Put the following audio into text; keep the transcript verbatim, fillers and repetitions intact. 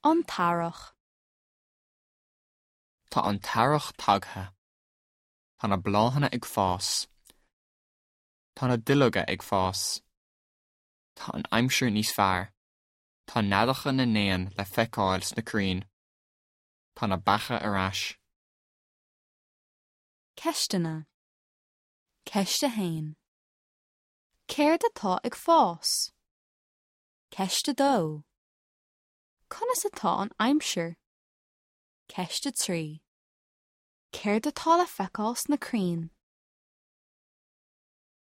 An t-earrach. Tá an t-earrach tagtha. Tá na bláthanna ag fás. Tá na duilleoga ag fás. Tá an aimsir níos fearr. Tá neadacha na n-éan le feiceáil sna crainn. Tá na beacha ar ais. Ceisteanna. Ceist a haon. Céard atá ag fás? Ceist a dó. Conas atá an aimsir? Ceist a trí. Céard atá le feiceáil sna crainn?